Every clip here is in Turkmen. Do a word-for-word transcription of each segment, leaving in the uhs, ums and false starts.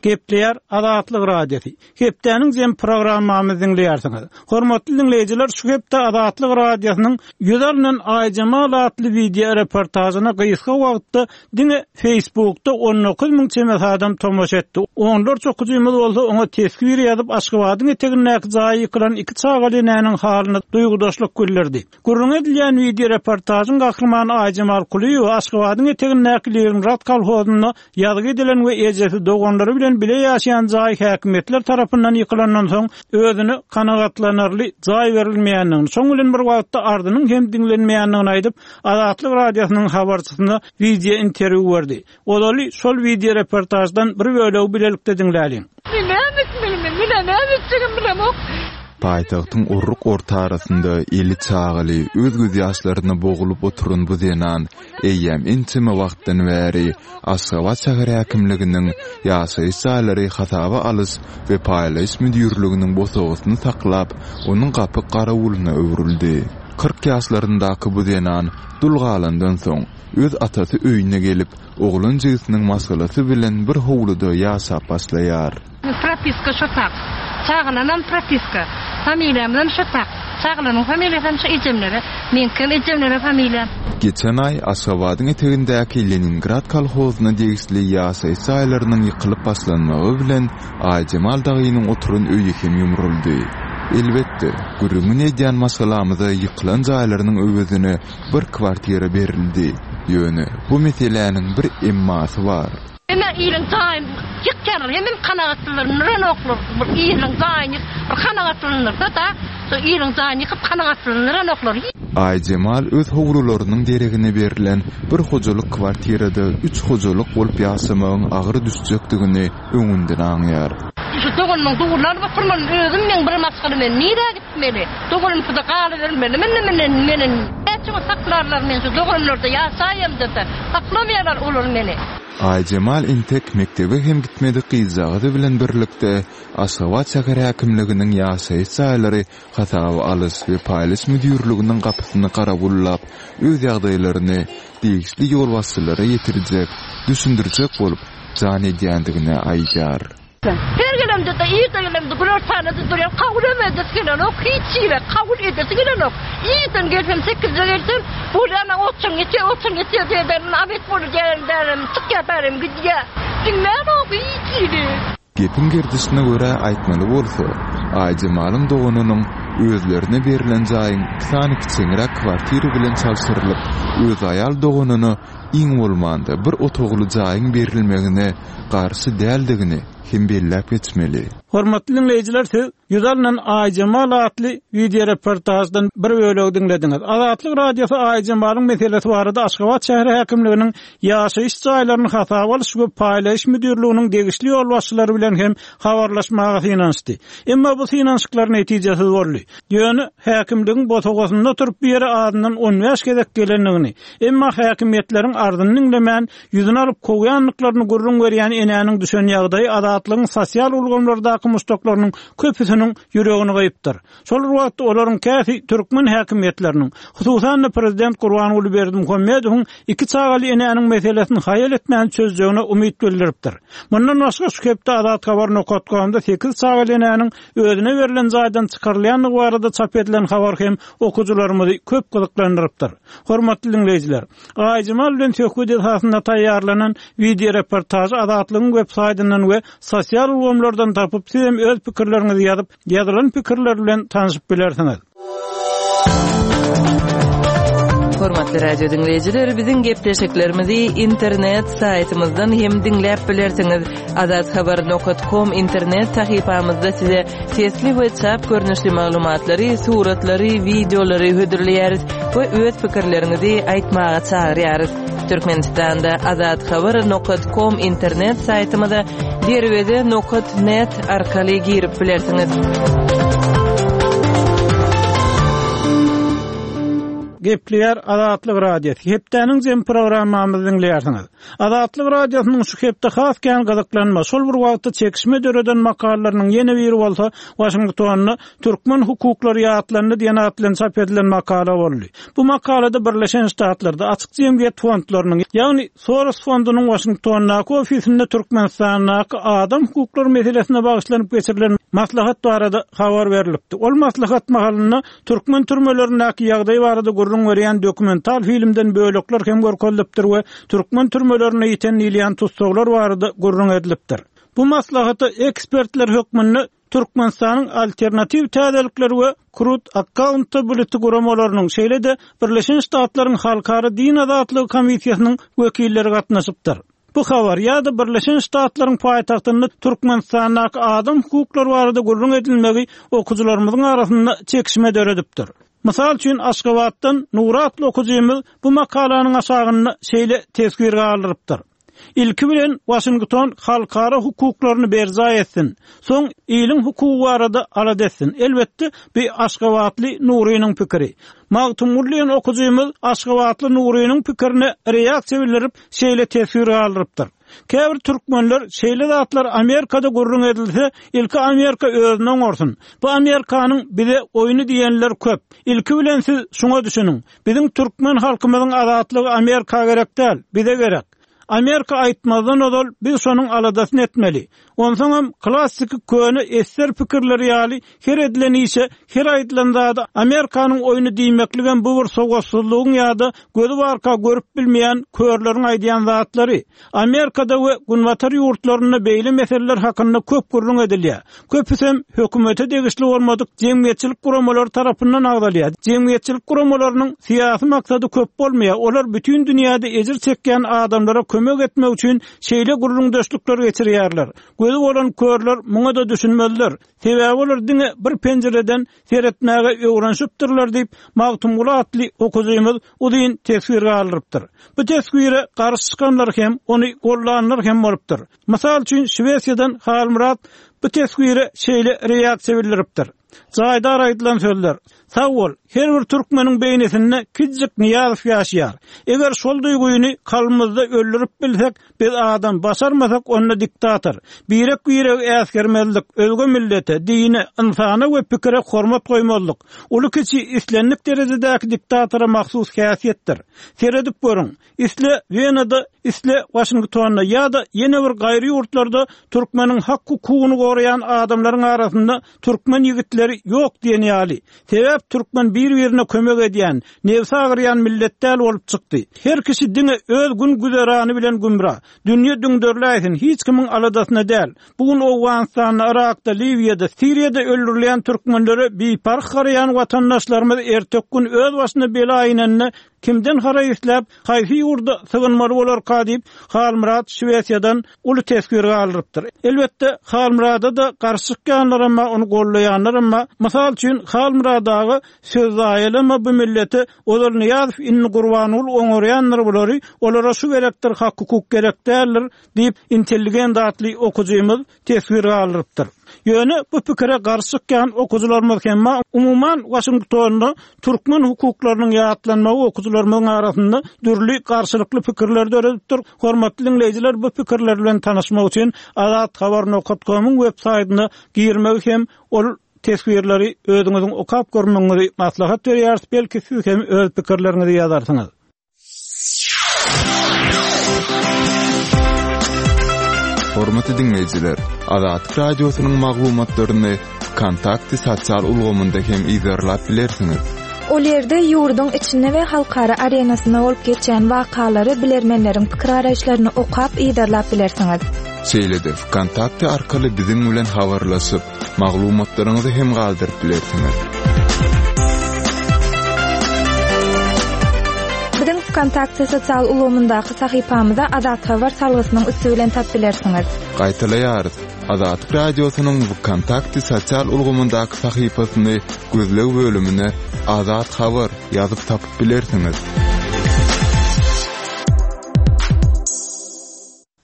Gepleýär Azatlyk Radiosy. Hepdäniň jem programmamyzy diňleýärsiňiz. Hormatly diňleýjiler, şu hepde Azatlyk Radiosynyň ýüz alynan Aýjemal atly wideo reportažyna gysga wagtda diňe Facebookda on dokuz müň çemesi adam tomaşa etdi. Onlarça okyjymyz bolsa oňa teswir ýazyp, Aşgabadyň etegindäki jaýy ýykylan iki çagaly enäniň halyna duýgudaşlyk bildirdi. Gürrüň edilýän wideo reportažyň gahrymany Aýjemal Kulyýewa Aşgabadyň etegindäki Leningrad kolhozynda ýazgy edilen we ejesi doganlary bilen bile ýaşaýan jaý häkimiýetler tarapyndan ýykylandan soň özüne kanagatlanarly jaý berilmeýändigini, şoň bilen bir wagtda ardynyň hem diňlenmeýändigini aýdyp, Azatlyk Radiosynyň habarçysyna wideo interwýu berdi. Ozaly şol wideo reportaždan bir bölegi bilelikde diňläliň. Paýtagtyň urruk orta arasynda eli çagaly, öz göz ýaşlaryna bogulyp oturan bu zenan eýýäm ençeme wagtdan bäri Aşgabat şäher häkimliginiň ýaşaýyş jaýlary hasaba alyş we paýlaýyş müdirliginiň bosagasyny saklap, onuň gapy garawulyna öwrüldi. Kyrk ýaşlaryndaky bu zenan dul galandan soň öz atasy öýüne gelip, oglan jigisiniň maşgalasy bilen bir howluda ýaşap başlaýar. Propiska şu tak. Çagalanam propiska. Familiýamdan şu tak. Çagalanam familiýasam şu ejemlere. Meňkem ejemlere familiýam. Geçen aý Aşgabadyň etegindäki Leningrad kolhozyna degişli ýaşaýyş jaýlarynyň ýykylyp başlanmagy bilen Aýjemal dagynyň oturan öýi hem ýumruldy. Elbetde, gürrüňini edýän maşgalamyza ýykylan jaýlarynyň öwezine bir kwartira berildi. Ýöne bu meseläniň bir emmasy bar. Hemen iliň jaýyn ýykýarlar, hemen kanagatlandyranoklar. Bir iliň jaýyny bir kanagatlandyrsa da, şo iliň jaýyny ýykyp kanagatlandyranoklar. Aýjemal öz howlularynyň deregine berlen bir hojalyk kwartirada üç hojalyk bolup ýaşamagyň agyr düşjekdigini öňünden aňýar. Şu doganymyň dugurlary oturmaly, özüm men bir maşgala men nirä gitmeli? Doganym şurada galybermeli, men men men näçe saklarlar men şu doganlarda ýaşaýam dese, saklamaýarlar olar meni. Aýjemal entek mekdebe hem gitmedik gyzjagazy bilen birlikde Aşgabat şäher häkimliginiň ýaşaýyş jaýlary hasaba alyş we paýlaýyş müdirliginiň gapysyny garawullap, öz ýagdaýlaryny degişli ýolbaşçylara ýetirjek, düşündirjek bolup jan edýändigini aýdýar. Her gelemde de irde gelemde günortanada durýan, kabul edesi gelenok, hiç ýere kabul edesi gelenok. Irden gelsem, sekizde gelsem, bolýan otçan geçýär, otçan geçýär diýen, abet bolýar diýen, därim, çykýar bärim gidýär. Diňlänok hiç ýeri. Gepiň gerdişine görä aýtmaly bolsa, Aýjemalyň doganynyň özlerine berlen jaýyň iki sany kiçeňräk kwartira bilen çalşyrylyp, öz aýal doganyna iň bolmanda bir otagly jaýyň berilmegine garşy däldigini hem belläp geçmeli. Hormatly diňleýjiler, siz ýüz alynan Aýjemal atly wideo reportaždan bir bölegi diňlediňiz. Azatlyk Radiosy Aýjemalyň meselesi barada Aşgabat şäher häkimliginiň ýaşaýyş jaýlaryny hasaba alyş we paýlaýyş müdirliginiň degişli ýolbaşçylary bilen hem habarlaşmaga synanyşdy. Emma bu synanyşyklar netijesiz boldy. Ýöne häkimligiň bosagasynda oturyp bir ýere azyndan on bäş gezek gelendigini, emma häkimiýetleriň ardyny diňlemän ýüzüni alyp kowýandyklaryny gürrüň berýän enäniň düşen ýagdaýy Azatlygyň sosial ulgamlardaky muşdaklarynyň köpüsiniň ýüregini gyýypdyr. Şol bir wagtda olaryň käsi türkmen häkimiýetleriniň, hususan-da prezident Gurbanguly Berdimuhamedowyň iki çagaly enäniň meselesini haýal etmän çözjegine umyt bildiripdir. Mundan başga şu hepde Azat Habar nokat komda sekiz çagaly enäniň özüne berlen jaýdan çykarylýandygy barada çap edilen habar hem okyjylarymyzy köp gyzyklandyrypdyr. Hormatly diňleýjiler, Aýjemal bilen söhbet esasynda taýýarlanan wideo reportažy Azatlygyň web saýtyndan we sosial ulgamlardan tapyp, siz hem öz pikirleriňizi ýazyp, ýazylan pikirler bilen tanışyp bilersiňiz. Hormatly radio diňleýjiler, biziň gepleşiklerimizi internet saýtymyzdan hem diňläp bilersiňiz. Azat Habar nokat com internet sahypamyzda size sesli we çap görnüşli maglumatlary, suratlary, wideolary hödürleýäris we öz pikirleriňizi aýtmaga çagyrýarys. Türkmenistanda Azat Habar nokat com internet saýtymyza derweze nokat net arkaly girip bilersiňiz. Gepleýär Azatlyk Radiosy. Hepdäniň jem programmamyzy diňleýärsiňiz. Azatlyk Radiosynyň şu hepde has kän gyzyklanma, şol bir wagtda çekişme döreden makalalarynyň ýene biri bolsa Waşingtonda Türkmen hukuklary ýatlandy diýen at bilen çap edilen makala boldy. Bu makalada Birleşen Ştatlarda açyk jemgyýet fondlarynyň, ýagny Soros fondunyň Waşingtondaky ofisinde Türkmenistandaky adam hukuklary meselesine bagyşlanyp geçirilen maslahat barada habar berilipdi. Ol maslahat mahalynda türkmen türmelerindäki ýagdaý barada gürrüň berýän dokumental filmden bölekler hem görkezilipdir we türkmen türmelerine ýeten diýilýän tussaglar barada gürrüň edilipdir. Bu maslahata ekspertler hökmünde Türkmenistanyň alternatiw täzelikleri we Truth Accountability guramalarynyň, şeýle-de Birleşen Ştatlaryň Halkara Din Azatlygy Komissiýasynyň wekilleri gatnaşypdyr. Bu habar ýa-da Birleşen Ştatlaryň paýtagtynda Türkmenistandaky adam hukuklary barada gürrüň edilmegi okyjylarymyzyň arasynda çekişme döredipdir. Mysal üçin Aşgabatdan Nury atly okyjymyz bu makalanyň aşagynda şeýle teswir galdyrypdyr. Ilki bilen Waşington halkara hukuklaryny berjaý etsin. Soň iliň hukugy barada alada etsin. Elbetde, bu Aşgabatly Nurynyň pikiri. Magtymguly diýen okyjymyz Aşgabatly Nurynyň pikirine reaksiýa bildirip, şeýle teswir galdyrypdyr. Käbir türkmenler şeýle zatlar Amerikada gürrüň edilse, ilki Amerika özüni oňarsyn. Bu Amerikanyň bize oýny diýenler köp. Ilki bilen siz şuňa düşüniň. Biziň türkmen halkymyzyň azatlygy Amerika gerek däl, bize gerek. Amerika aýtmazdan ozal biz şonuň aladasyny etmeli. Onsoňam klassiki köne eser pikirleri ýaly her edilen işe, her aýdylan zada Amerikanyň oýny diýmekligem bu bir sowatsyzlygyň ýa-da gözi barka görüp bilmeýän körleriň aýdýan zatlary. Amerikada we Günbatar ýurtlarynda beýle meseleler hakynda köp gürrüň edilýär. Köpüsem hökümete degişli bolmadyk jemgyýetçilik guramalary tarapyndan agzalýar. Jemgyýetçilik guramalarynyň syýasy maksady köp bolmaýar. Olar bütün dünýäde ejir çekýän adamlara kömek etmek üçin şeýle gürrüňdeşlikler geçirýärler. Gözi bolan körler muňa da düşünmezler. Sebäbi olar diňe bir penjireden seretmäge öwrenişipdirler diýip Magtymguly atly okyjymyz uzyn teswir galdyrypdyr. Bu teswire garşy çykanlar hem, ony gollanlar hem bolupdyr. Mysal üçin Şwesiýadan Halmyrat bu teswire şeýle reaksiýa bildiripdir. Jaýdar aýdylan sözler. Sag bol, her bir türkmeniň beýnisinde Kijik Nyýazow ýaşaýar. Eger şol duýgyny kalbymyzda öldürip bilsek, biz adam başarmasak onda diktator. Birek biregi äsgermezlik, özge millete, dine, insana we pikire hormat goýmazlyk. Uly kiçi islendik derejedäki diktatora mahsus häsiýetdir. Seredip görüň. Isle Wenada, isle Waşingtonda ýa-da ýene bir gaýry ýurtlarda türkmeniň hak hukugyny goraýan adamlaryň arasynda türkmen ýigitleri ýok diýen ýaly. Sebäp türkmen bir-birine kömek edýän, nefsi agyrýan millet däl bolup çykdy. Her kişi diňe öz gün güzerany bilen gümra. Dünýe düňderläýsin, hiç kimiň aladasyna däl. Bu gün Owganystanda, Irakda, Liwiýada, Siriýada öldürilýän türkmenlere biparh garaýan watandaşlarymyz ertek gün öz başyna bela inende kimden haraý isläp, haýsy ýurda sygynmaly bolarka diýip Halmyrat Şwesiýadan uly teswir galdyrypdyr. Elbetde Halmyrada da garşy çykýanlar emma ony gollaýanlar emma mysal üçin Halmyrat aga söz zaýalama bu millete ozal Nyýazow indi Gurbanguly oňarýandyr bulary, olara şu gerekdir, hak hukuk gerek däldir diýip intelligent atly okyjymyz teswir galdyrypdyr. Ýöne bu pikire garşy çykýan okyjylarymyz hem umuman Waşingtonda türkmen hukuklarynyň ýatlanmagy okyjylarymyzyň arasynda dürli garşylykly pikirler döredipdir. Hormatly dinleýjiler, bu pikirler bilen tanyşmak üçin azathabar nokta comyň web saýtyna girmegi hem ol teswirleri özüňiziň okap görmegiňizi maslahat berýäris. Belki siz hem öz pikirleriňizi ýazarsyňyz. Hormatly dinleýjiler, Azatlyk Radiosynyň maglumatlaryny Kontakty sosial ulgamynda hem izerlap bilersiňiz. Ol ýerde ýurduň içinde we halkara arenasynda bolup geçýän wakalary bilermenleriň pikir araýyşlaryny okap izerlap bilersiňiz. Şeýle-de Kontakty arkaly biziň bilen habarlaşyp, maglumatlaryňyzy hem galdyryp bilersiňiz. Biziň Kontakty sosial ulgamyndaky sahypamyza Azat Habar salgysynyň üsti bilen tap bilersiňiz. Gaýtalaýarys. Azatlyk Radiosynyň Kontakty sosial ulgamyndaky sahypasyny gözleg bölümine Azat Habar ýazyp tapyp bilersiňiz.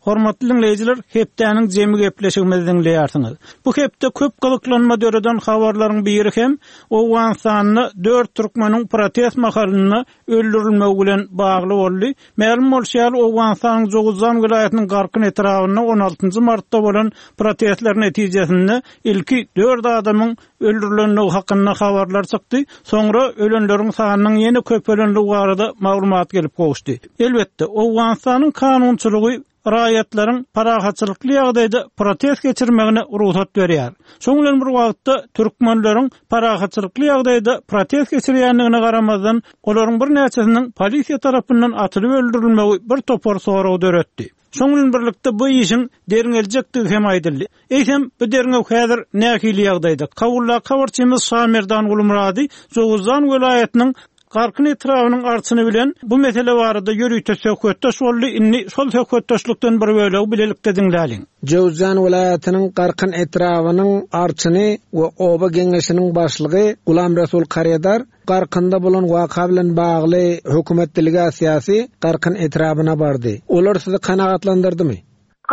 Hormatly dinleýjiler, hepdäniň jemi gepleşigimizi diňleýärsiňiz. Bu hepde köp gyzyklanma döreden habarlaryň biri hem Owganystanda dört türkmeniň protest mahalynda öldürilmegi bilen bagly boldy. Mälim bolşy ýaly, Owganystanyň Jowuzjan welaýatynyň Garkyn etrabynda on altynjy martda bolan protestler netijesinde ilki dört adamyň öldürilendigi hakynda habarlar çykdy. Soňra ölenleriň sanynyň ýene köpelendigi barada maglumat gelip gowuşdy. Elbetde, Owganystanyň kanunçylygy raýatlaryň parahatçylykly ýagdaýda protest geçirmegine rugsat berýär. Şoň bilen bir wagtda türkmenleriň parahatçylykly ýagdaýda protest geçirýändigine garamazdan, olaryň birnäçesiniň polisiýa tarapyndan atylyp öldürilmegi bir topar sorag döretdi. Şoň bilen birlikde bu işiň derňeljekdigi hem aýdyldy. Eýsem, bu derňew häzir nähili ýagdaýda? Kabulda habarçymyz Şamerdan Gulmurady Jowuzjan welaýatynyň Garkyn etrabynyň arçyny bilen bu mesele barada ýörite söhbetdeş boldy. Indi şol söhbetdeşlikden bir bölegi bilelikde diňläliň. Jowuzjan welaýatynyň Garkyn etrabynyň arçyny we oba geňeşiniň başlygy Gulam Resul Karedar Garkynda bolan waka bilen bagly hökümet delegasiýasy Garkyn etrabyna bardy. Olar sizi kanagatlandyrdymy?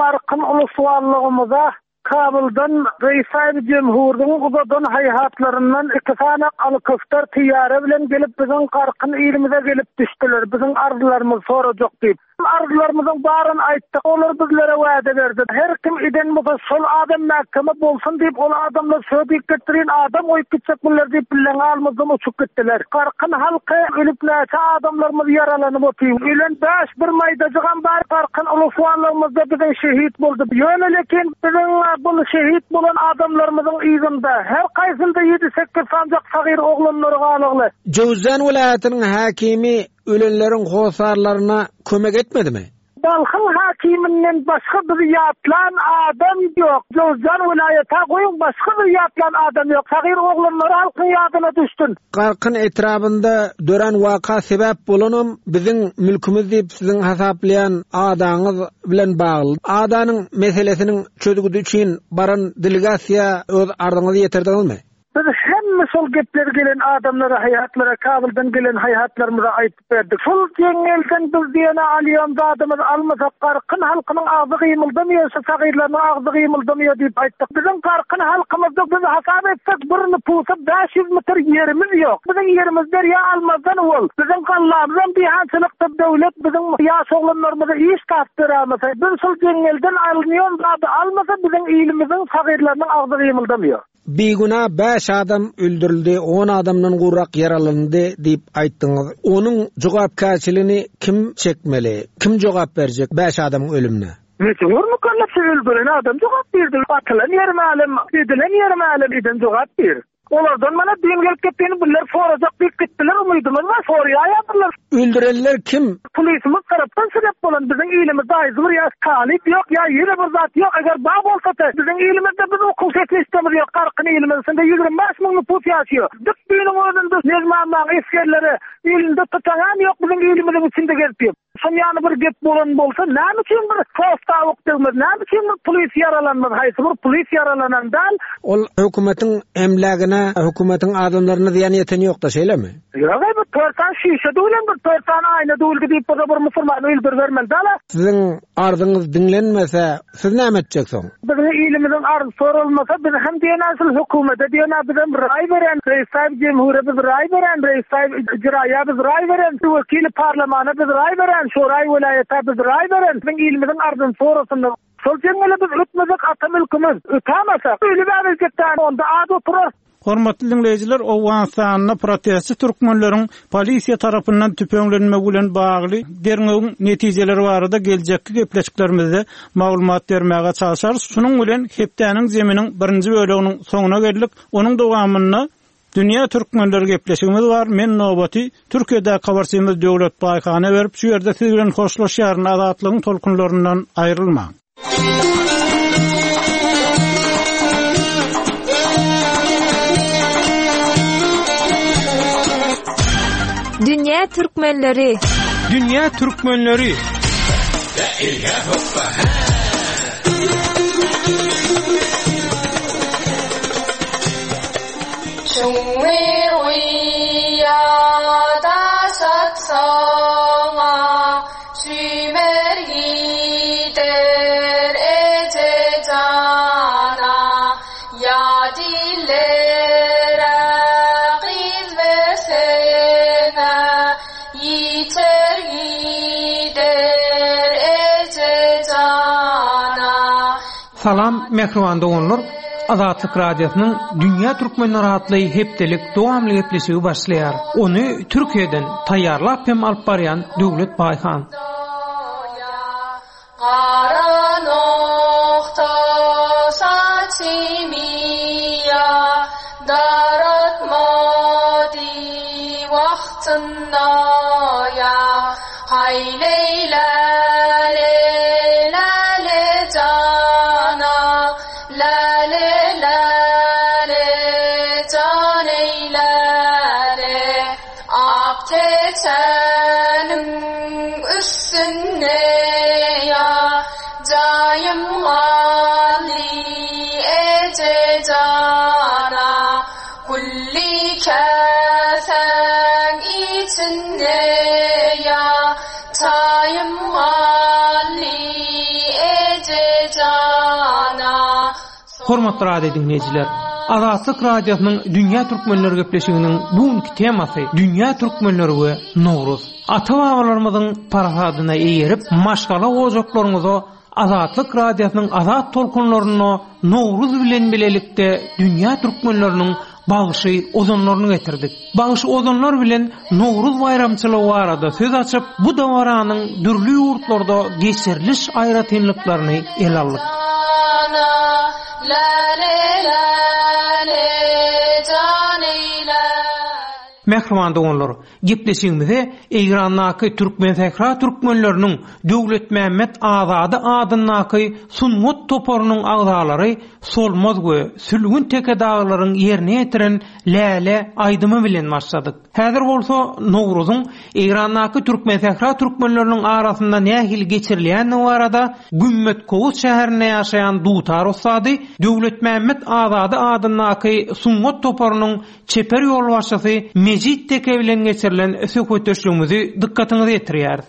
Garkyn uluswallygymyza Kabuldan Reýsaýb Cemhurduň uzadan haýhatlaryndan iki sany alkyftar tiýara bilen gelip biziň Garkyn ilimize gelip düşdüler. Biziň arzularymyzy sorajak diýip. Arzularymyzyň baryny aýtdyk. Olar bizlere wada berdi. Her kim eden bolsa şol adam mahkeme bolsun diýip, ol adamlar şo diýip getirin adam goýup gitjek bunlar diýip bilen almazdan uçup gitdiler. Garkyn halky ölüp näçe adamlarymyz ýaralanyp otyr. Ölen bäş bir maýdajygam bar. Garkyn uluswallygymyzda biziň şehit boldy. Ýöne lekin biziň bu şehit bolan adamlarymyzyň yzynda her kaýsynda ýedi sekiz sancak sagyr oglanlary galygly. Jowuzjan welaýatynyň hakimi ölenleriň hosarlaryna kömek etmedimi? Balhyň hakiminden başga bir ýatlan adam ýok. Jowuzjan welaýata goýuň başga bir ýatlan adam ýok. Sagyr oglanlary halkyň ýadyna düşsün. Garkyn etrabynda dören waka sebäp bolanam biziň mülkümiz diýip siziň hasaplaýan adaňyz bilen bagly. Adanyň meselesiniň çözgüdi üçin baran delegasiýa öz arzyňyzy ýetirdiňizmi? Biz hemme şol gepler gelen adamlara, haýatlara, Kabuldan gelen haýatlarymyza aýtyp berdik. Şol jeňňelden biz diýene alýan zadymyz almasak, Garkyn halkynyň agzy gymyldamaýar, şu sagyrlarynyň agzy gymyldamaýar diýip aýtdyk. Biziň Garkyn halkymyzda biz hasap etsek bir nüfusa bäş ýüz metr ýerimiz ýok. Biziň ýerimiz derýa almazdan ol. Biziň gallamyzam diýhançylykda döwlet biziň ýaş oglanlarymyza iş tapyp berämese, biz şol jeňňelden alynýan zady almasa biziň ilimiziň sagyrlarynyň agzy gymyldamaýar. Biguna bäş adam öldürildi, on adamdan gurak ýaralandy diýip aýtdyňyz. Onuň jogapkärçiligini kim çekmeli? Kim jogap berjek bäş adamyň ölümine? Mejbur mukallaf öldüren adam jogap berdi. Atylan ýeri mälim, edilen ýeri mälim, eden jogap ber. Olardan mana din gelip gitdiğini biller soracak diýip gitdiler, umydymyz var, soruya ýapdylar. Öldürenler kim? Polisimiz tarapdan sebäp bolan biziň ilimizde aýdy bir ýa talyp ýok, ýa ýene bir zat ýok. Eger bar bolsa da biziň ilimizde biz okuw sistemimiz ýok. Garkyn ilimizde ýigrimi bäş müň nüfus ýaşaýar. Dik düýnüň özünde Nezmanlaň esgerleri elinde tutaňam ýok, biziň ilimiziň içinde gezip ýör. Şon ýany bir gep bolan bolsa, näme üçin bir posta degmez, näme üçin bir polis ýaralanmaz, haýsy bir polis ýaralanan däl? Ol hökümetiň emlägine, hökümetiň adamlaryna zyýan ýeten ýok-da, şeýlemi? Ýok, bu dört sany şişe döwlen, bir dört sany aýna döwüldi diýip, bu bir musulman öldürbermeli däl. Siziň arzyňyz diňlenmese, siz näme etjek soň? Biziň ilimiziň arzy sorulmasa, biz hem diýen asyl hökümete diýen, biz hem raý beren, Reýsaýb Cemhure biz raý beren, Reýsaýb Icraýa biz raý beren, wekili parlamana biz raý beren, Şoraý welaýata biz raý beren, biziň ilimiziň arzyny sorasynlar. Şol jeňňele biz ötmezek ata mülkümiz, ötämesek, ölüp äbeljekden onda ad oturar. Hormatly dinleýjiler, Owganystanda protestçi türkmenleriň polisiýa tarapyndan tüpeňlenmegi bilen bagly derňewiň netijeleri barada geljekki gepleşiklerimizde maglumat bermäge çalşarys. Şunuň bilen hepdäniň zeminiň birinji böleginiň soňuna geldik. Onuň dowamynda Dünýä Türkmenleri gepleşigimiz bar. Men nobaty Türkiýede habarçymyz Döwlet Baýhana berip, şu ýerde siz bilen hoşlaşýaryn. Azatlygyň tolkunlaryndan aýrylmaň. Dünýä Türkmenleri. Dünýä Türkmenleri. 중외의야 다섯 성아 쥐메리데 Salam mähriban doganlar. Azatlyk Radiosynyň Dünýä Türkmenleri atly hepdelik dowamly gepleşigi başlaýar. Ony Türkiýeden taýýarlap hem alyp barýan Döwlet Baýhan. Gara nokta saçymyýa daratmady wagtynda ýa Haý leýle le le jana la le la le jan eýle le Ak teçeniň üstünde ýa jaýym galdy eje jana Gülli käsäň içinde ýa çaýym galdy eje jana Hormatly radio dinleýjiler, Azatlyk Radiosynyň Dünýä Türkmenleri gepleşiginiň bugünki temasy Dünýä Türkmenleri we Nowruz. Ata-babalarymyzyň parahadyna eýerip, maşgala ojaklaryňyza Azatlyk Radiosynyň azat tolkunlaryna Nowruz bilen bilelikde Dünýä Türkmenleriniň bagşy ozanlaryny getirdik. Bagşy ozanlar bilen Nowruz baýramçylygy barada söz açyp, bu dabaranyň dürli ýurtlarda geçiriliş aýratynlyklaryny ele aldyk. La le la le jan eýle Mähriban doganlar, gepleşigimize Eýrandaky Türkmen Sähra türkmenleriniň Döwletmämmet Azady adyndaky sungat toparynyň agzalary Solmaz we Sülgün Teke daglaryň ýerine ýetiren Läle aýdymy bilen başladyk. Häzir bolsa Nowruzyň Eýrandaky Türkmen Sähra türkmenleriniň arasynda nähili geçirilýändigi barada Gümmet Kowus şäherinde ýaşaýan dutar ussady Döwletmämmet Azady adyndaky sungat toparynyň çeper ýolbaşçysy Mejit Teke bilen geçirilen söhbetdeşligimizi dykgatyňyza ýetirýäris.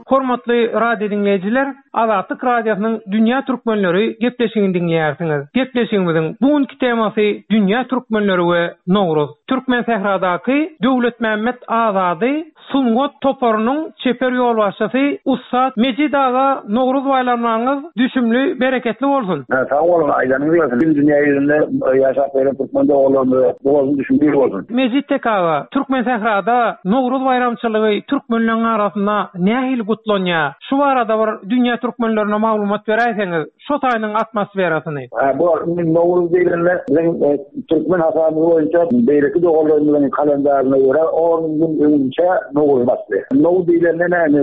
Hormatly radio dinleýjiler, Azatlyk Radiosynyň Dünýä Türkmenleri gepleşigini diňleýärsiňiz. Gepleşigimiziň bugünki temasy Dünýä Türkmenleri we Nowruz. Türkmen Sähradaky Döwletmämmet Azady sungat toparynyň çeper ýolbaşçysy ussat Mejit aga Nowruz baýramlaryňyz düşümli, bereketli bolsun. Ha, sag boluň, aýdanyňyz gelsin. Bütün dünýä ýüzünde ýaşap gelen türkmen doganlarymyza bolsun, düşümli bolsun. Mejit Teke aga, Türkmen Sährada Nowruz baýramçylygy türkmenleriň arasynda nähili gutlanýar? Şu barada bir dünýä türkmenlerine maglumat beräýseňiz, şu taýynyň atmosferasyny. Ha, bu Nowruz diýlende biziň e, türkmen hasaby boýunça beýleki doganlarymyzyň kalendaryna görä on gün öňünçe Nowruz başlaýar. Nowruz diýlende näme?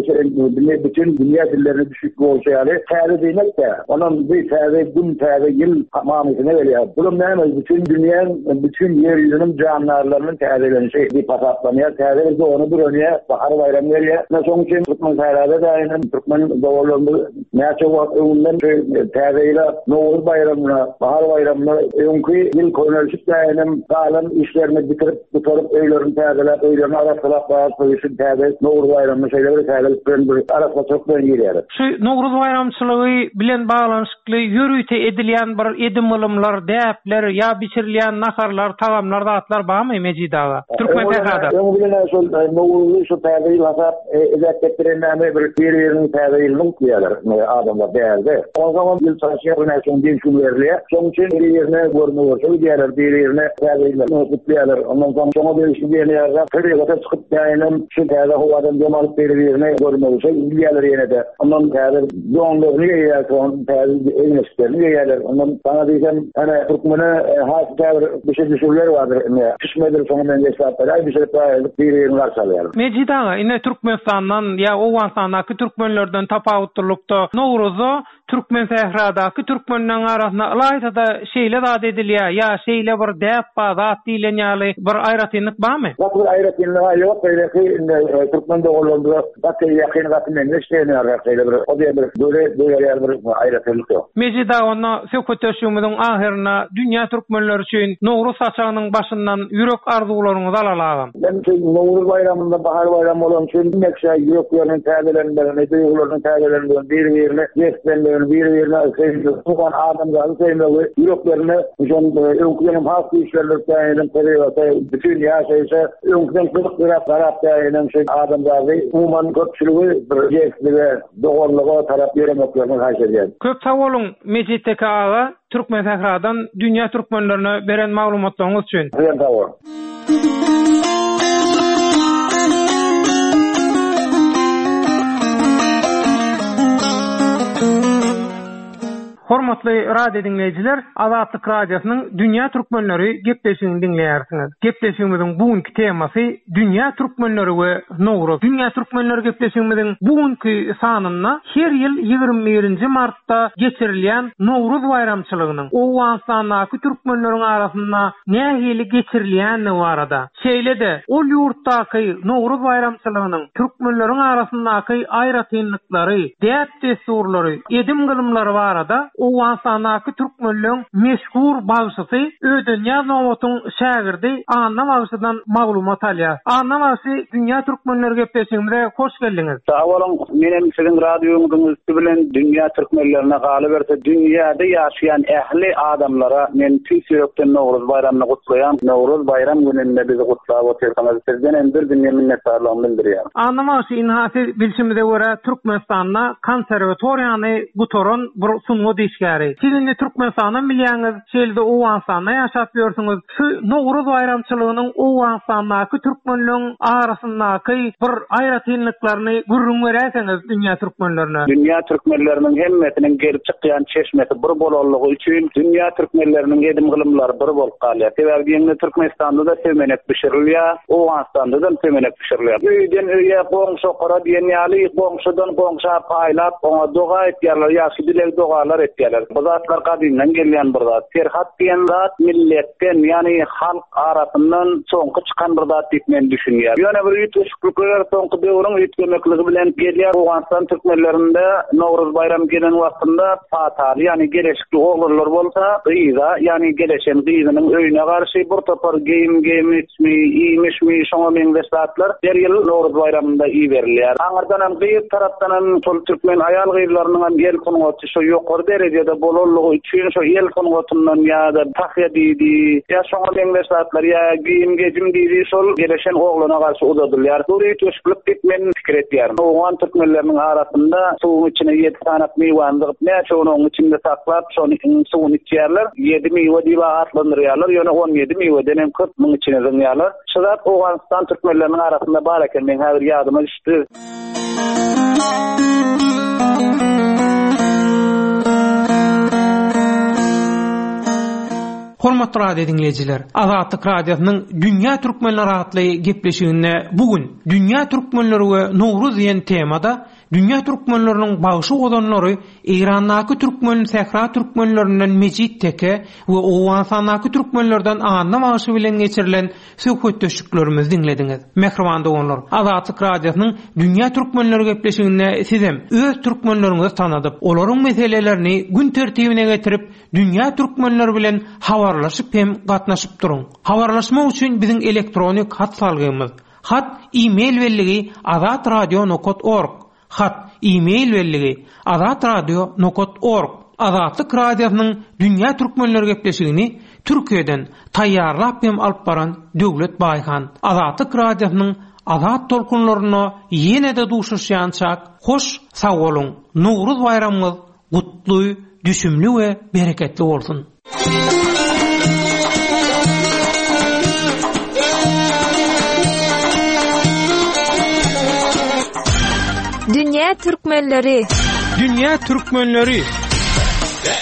Dünya bütün dünýä dillerine düşük bolsa ýaly täze diýmek-de, onuň bir täze gün, täze ýyl manysyna gelýär. Bu näme? Bütün dünýäniň, bütün ýer ýüzüniň jandarlarynyň täzelenişi diýip hasaplanýar. Täze bir dogany bir önýär, bahar baýramy gelýär. Şonuň üçin Türkmen sährada daýynyň türkmen doganlarymyz näçe wagt öňünden täze ýyla Nowruz baýramyna, bahar baýramyna öňki ýyl könelişip daýynyň galan işlerini bitirip, gutaryp, öýlerini täzeläp, öýlerini arassalap, baýramçylyk täze Nowruz baýramyny şeýle bir täzelik bilen bir arassaçylyk bilen girýär. Şu Nowruz baýramçylygy bilen baglanyşykly ýörite edilýän bir edim-gylymlar, däpler ýa bişirilýän naharlar, tagamlar, zatlar barmy Mejit aga? Türkmen sährada. Öň bilen şol Nowruzy şu täze ýyl hasap edip getirenlerine bir bir-biriniň täze ýylyny gutlaýarlar adamlar bärde. Onsoň ýyl çalyşýar, näçe gün gün berilýär. Şonuň üçin bir-birine görme-görşe gidýärler, bir-birine täze ýylyny gutlaýarlar. Ondan soň şoňa degişli diýenler, tebigata çykyp daýynyň şu täze howadan dem alyp bir-birine görme-görşe gidýärler ýene-de. Ondan täze donlaryny geýýär, soň täze egin-eşiklerini geýýärler. Ondan sana diýsem, ene türkmene has täze bir şey düşürler bardyr. Ine, pişmedir soňa men geçäpler. Ay bişirip aýryp bir-birini garşy alýarlar. Mejit aga, ine Türkmenistandan ýa Owganystandaky türkmenlerden tapawutlylykda Nowruzda Türkmen sähradaky türkmenleriň arasynda ylaýta-da şeýle zat edilýär, ýa şeýle bir däp bar, zat diýlen ýaly bir aýratynlyk barmy? Gaty bir aýratynlygy ýok, beýleki indi türkmen doganlarymyza gaty ýakyn, gaty meňzeş diýen şeýle bir o diýen bir göre göre bir aýratynlyk ýok. Mejit aga, onda söhbetdeşligimiziň ahyrynda dünýä türkmenleri üçin Nowruz saçagynyň başyndan ýürek arzuwlaryňyzy alaly agam. Men üçin Nowruz baýramynda bahar baýramy bolan üçin hemmeşe ýürekleriniň täzelenmegini, duýgularynyň täzelenmegini, bir-birine jeslenmegini, söýmegini, biri-birine söýmegi, umuman adamzady söýmegi ýüreklerine şol öňküden hem has güýçlendirip täýinem tebigata, bütin ýaşaýşa öňküden gyzyk bilen garap täýinem şu adamzady umuman köpçüligi bir jebislige, doganlyga tarap ýöremeklerini haýyş edýän. Köp sag boluň Mejit Teke aga, Türkmen Sähradan dünýä türkmenlerine beren maglumatlaryňyz üçin. Sizem sag boluň. Hormatly radio diňleýjiler, Azatlyk Radiosynyň Dünýä Türkmenleri gepleşigini diňleýärsiňiz. Gepleşigimiziň bu günki temasy Dünýä Türkmenleri we Nowruz. Dünýä Türkmenleri gepleşigimiziň bu günki sanynda her ýyl ýigrimi birinji martda geçirilýän Nowruz baýramçylygynyň Owganystandaky türkmenleriň arasynda nähili geçirilýändigi barada, şeýle-de ol ýurtdaky Nowruz baýramçylygynyň türkmenleriň arasyndaky aýratynlyklary, däp-dessurlary, edim-gylymlary barada Owganystandaky türkmenleň meşhur bagşysy Ödenýaz Nobatyň şägirdi Anna bagşydan maglumat alýar. Anna bagşy, Dünýä Türkmenleri gepleşigimize hoş geldiňiz. Sag boluň, men hem siziň radioňyzyň üsti bilen dünýä türkmenlerine galyberse, dünýäde ýaşaýan ähli adamlara men tüýs ýürekden Nowruz baýramyny gutlaýan. Nowruz baýram gününde bizi gutlap otyrsyňyz. Sizden hem bir dünýä minnetdarlygymy bildirýän. Anna bagşy, ynha siz bilşimize görä Türkmenistanda konserwatoriýany gutaran bir sungat işgäri. Siz indi Türkmenistandan bilýäňiz, şeýle-de Owganystanda ýaşap ýörsüňiz. Şu Nowruz baýramçylygynyň Owganystandaky türkmenleň arasyndaky bir aýratynlyklaryny gürrüň beräýseňiz dünýä türkmenlerine. Dünýä türkmenleriniň hemmesiniň gelip çykýan çeşmesi bir bolanlygy üçin dünýä türkmenleriniň edim-gylymlary bir bolup galýar. Sebäbi diýende Türkmenistanda da sömenek bişirilýär, Owganystanda da sömenek bişirilýär. Öýden öýe goňşokara diýen ýaly goňşudan goňşa paýlap, oňa doga etýärler, ýagşy dileg dogalar etýärler. Bu zatlar gadymdan gelýän bir zat. Serhat diýen zat milletden, ýani halk arasyndan soňky çykan bir zat diýip men düşünýär. Ýöne bir üýtgeşiklikler soňky döwrüň üýtgemekligi bilen gelýär. Owganystan türkmenlerinde Nowruz baýram gelen wagtynda pataly, ýani geleşikli oglanlar bolsa, gyza, ýani geleşen gyzynyň öýüne garşy bir topar geýim geýmişmi, iýmişmi, şoňa meňzeş zatlar her ýyl Nowruz baýramynda iberilýär. Aňyrdan hem gyz tarapdan hem şol türkmen aýal gyzlarynyň hem el sungaty şo ýokary derejede bolanlygy üçin şo el sungatyndan ýa-da tahýa diýdi, ýa şoňa meňzeş zatlar, ýa geýim gejim diýdi, şol geleşen oglana garşy uzadylýar. Bu üýtgeşiklik diýip men pikir etýärim. Owgan türkmenleriniň arasynda suwuň içine ýedi sanak miwany zygyp, näçe onuň içinde saklap, şony suwuny içýärler. Ýedi miwe diýip atlandyrýarlar, ýöne on ýedi miweden hem köp muň içine zyňýarlar. Şu zat Owganystan türkmenleriniň arasynda bar eken, men häzir ýadyma düşdi. Hormatly radio dinleýjiler, Azatlyk Radiosynyň Dünýä Türkmenleri atly gepleşiginde bu gün Dünýä Türkmenleri we Nowruz diýen temada Dünýä Türkmenleriniň bagşy ozanlary Eýrandaky türkmen sähra türkmenlerinden Mejit Teke we Owganystandaky türkmenlerden Anna bagşy bilen geçirilen söhbetdeşliklerimizi diňlediňiz. Mähriban doganlar, Azatlyk Radiosynyň Dünýä Türkmenleri gepleşiginde sizem öz türkmenleriňizi tanadyp, olaryň meselelerini gün tertibine getirip, Dünýä Türkmenleri bilen habarlaşyp hem gatnaşyp duruň. Habarlaşmak üçin biziň elektronik hat salgymyz hat e-mail belligi azatradio nokta org, hat e-mail belligi azatradio nokta org. Azatlyk Radiosynyň Dünýä Türkmenleri gepleşigini Türkiýeden taýýarlap hem alyp baran Döwlet Baýhan. Azatlyk Radiosynyň Azat tolkunlaryna ýene-de duşuşýançak hoş sag boluň. Nowruz baýramyňyz gutly, düşümli we bereketli bolsun. Dünýä Türkmenleri. Dünýä Türkmenleri. Be,